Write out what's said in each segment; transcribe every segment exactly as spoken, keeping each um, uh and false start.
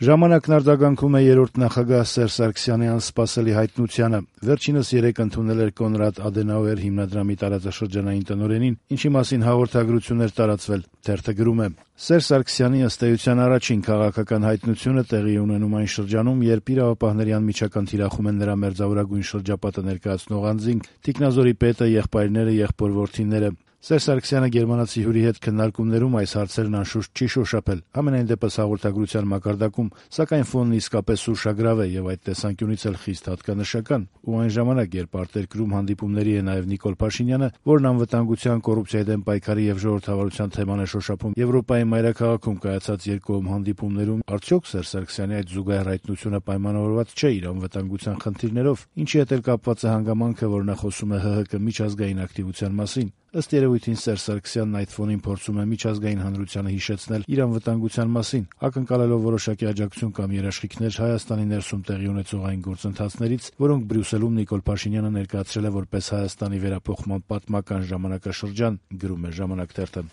Ժամանակն արձագանքում է երրորդ նախագահ Սերժ Սարգսյանի անսպասելի հայտնությանը։ Վերջինս երեկ ընդունել էր Կոնրադ Ադենաուեր հիմնադրամի տարածաշրջանային տնօրենին, ինչի մասին հաղորդագրություն էր տարածվել։ Թերթը գրում է. Սերժ Սարգսյանի ըստ էության առաջին քաղաքական հայտնությունը տեղի է ունենում այն շրջանում, երբ իրավապահների անմիջական թիրախում են նրա մերձավորագույն շրջապատը ներկայացնող անձինք, Տիկնազորի պետը, եղբայրները, եղբոր-որդիները։ Սերժ Սարգսյանը գերմանացի հյուրի հետ քննարկումներում այս հարցերն անշուշտ չի շոշափել, համենայն դեպս հաղորդագրության մակարդակում, սակայն ֆոնն իսկապես ուշագրավ է եւ այդ տեսանկյունից էլ խիստ հատկանշական, ու այն ժամանակ, երբ արտերկրում հանդիպումների է նաեւ Նիկոլ Փաշինյանը, որն անվտանգության, կոռուպցիայի դեմ պայքարի եւ ժողովրդավարության թեման է շոշափում Եվրոպայի մայրաքաղաքում կայացած երկկողմ հանդիպումներում, արդյոք Սերժ Սարգսյանի այդ զուգահեռ հայտնությունը պայմանավորված չէ իր անվտանգության խնդիրներով, ինչի հետ էլ կապված է հանգամանքը, որ նա խոսում է ՀՀԿ միջազգային ակտիվության մասին։ Ըստ երևույթին Սերժ Սարգսյանն այդ ֆոնին փորձում է միջազգային հանրությանը հիշեցնել իր անվտանգության մասին, ակնկալելով որոշակի աջակցություն կամ երաշխիքներ Հայաստանի ներսում տեղի ունեցող այն գործընթացներից, որոնք Բրյուսելում Նիկոլ Փաշինյանը ներկայացրել է որպես Հայաստանի վերափոխման պատմական ժամանակաշրջան, գրում է «Ժամանակ» թերթը։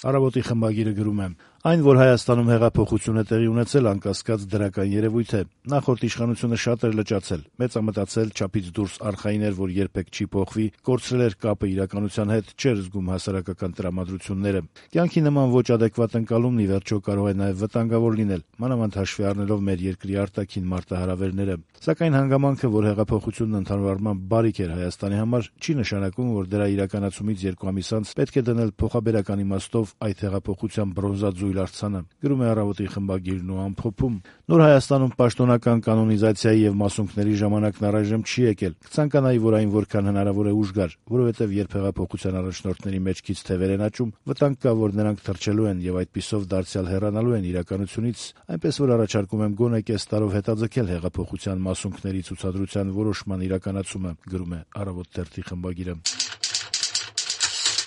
Առավոտի խմբագիրը գրում է. Այն, որ Հայաստանում հեղափոխություն է տեղի ունեցել, անկասկած դրական երևույթ է։ Նախորդ իշխանությունը շատ էր լճացել, մեծամտածել, չափից դուրս արխային էր, որ երբեք չի փոխվի, կորցրել էր կապը իրականության հետ, չէր զգում հասարակական տրամադրությունները։ Կյանքի նման ոչ ադեկվատ ընկալումն ի վերջո կարող է նաև վտանգավոր լինել, մանավանդ հաշվի առնելով մեր երկրի արտաքին մարտահրավերները։ Սակայն հանգամանքը, որ հեղափոխությունն ընդհանուր առմամբ բարիք էր Հայաստանի համար, չի նշանակում, որ դրա իրականացումից երկու ամիս անց պետք է դնել փոխաբերական իմաստով այդ հեղափոխության բրոնզաձույլ արձանը, գրում է «Առավոտի» խմբագիրն ու ամփոփում. Նոր Հայաստանում պաշտոնական կանոնիզացիայի եւ մասունքների ժամանակն առայժմ չի եկել։ Կցանկանայի, որ այն որքան հնարավոր է ուժգար, որովհետեւ երբ հեղափոխության առաջնորդների մեջքից թևեր են աճում, վտանգ կա, որ նրանք թրջելու են եւ այդպիսով դարձյալ հեռանալու են իրականությունից, այնպես որ առաջարկում եմ գոնե կես տարով հետաձգել հեղափոխության մասունքների ցուցադրության որոշման իրականացումը, գրում է «Առավոտ» թերթի խմբագիրը։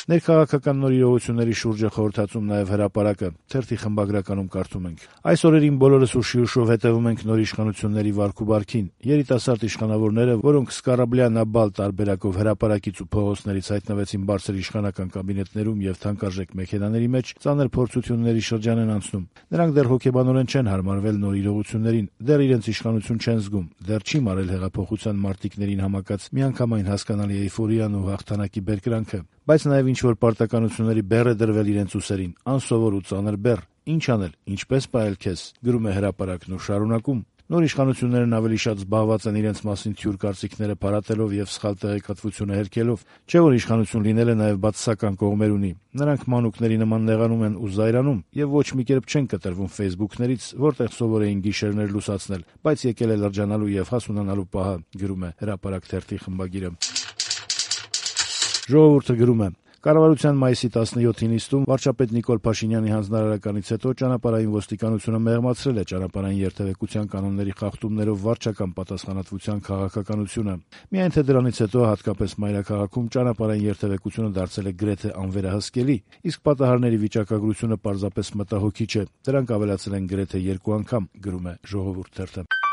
Ներքաղաքական նոր իրողությունների շուրջ է խորհրդածում նաև հրապարակը։ Թերթի խմբագրականում կարդում ենք. Այս օրերին բոլորս ուշի ուշով հետևում ենք նոր իշխանությունների վարք ու բարքին։ Երիտասարդ իշխանավորները, որոնք սկարաբլյանաբալ տարբերակով հրապարակից ու փողոցներից հայտնվեցին բարձր իշխանական կաբինետներում եւ թանկարժեք մեքենաների մեջ, ծանր փորձությունների շրջան են անցնում։ Նրանք դեռ հոգեբանորեն չեն հարմարվել նոր իրողություններին, դեռ իրենց իշխանություն չեն զգում, դեռ չի մարել հեղափոխության մարտիկներին համակած միանգամայն հասկանալի էյֆորիան ու հաղթանակի բերկրանքը։ Բայց նաև ինչ-որ պարտականությունների բեռ է դրվել իրենց ուսերին, անսովոր ու ծանր բեռ։ Ինչ անել, ինչպես պահել քեզ, գրում է հրապարակն ու շարունակում. Նոր իշխանություններն ավելի շատ զբաղված են իրենց մասին թյուր կարծիքները փարատելով եւ սխալ տեղեկատվությունը հերքելով, չէ որ իշխանություն լինելը նաև բացասական կողմեր ունի։ Նրանք մանուկների նման նեղանում են ու զայրանում եւ ոչ մի կերպ չեն կտրվում Facebook-ներից, որտեղ սովոր էին գիշերներ լուսացնել, բայց եկել է լրջանալու եւ հասունանալու պահը, գրում է հրապարակ թերթի խմբագիրը։ Ժողովուրդը գրում է. Կառավարության մայիսի տասնյոթի նիստում վարչապետ Նիկոլ Փաշինյանի հանձնարարականից հետո ճանապարհային ոստիկանությունը մեղմացրել է ճանապարհային երթևեկության կանոնների խախտումներով վարչական պատասխանատվության քաղաքականությունը։ Միայն թե դրանից հետո հատկապես մայրաքաղաքում ճանապարհային երթևեկությունը դարձել է գրեթե անվերահսկելի, իսկ պատահարների վիճակագրությունը պարզապես մտահոգիչ է։ Դրանք ավելացել են գրեթե երկու անգամ, գրում է Ժողովուրդ թերթը։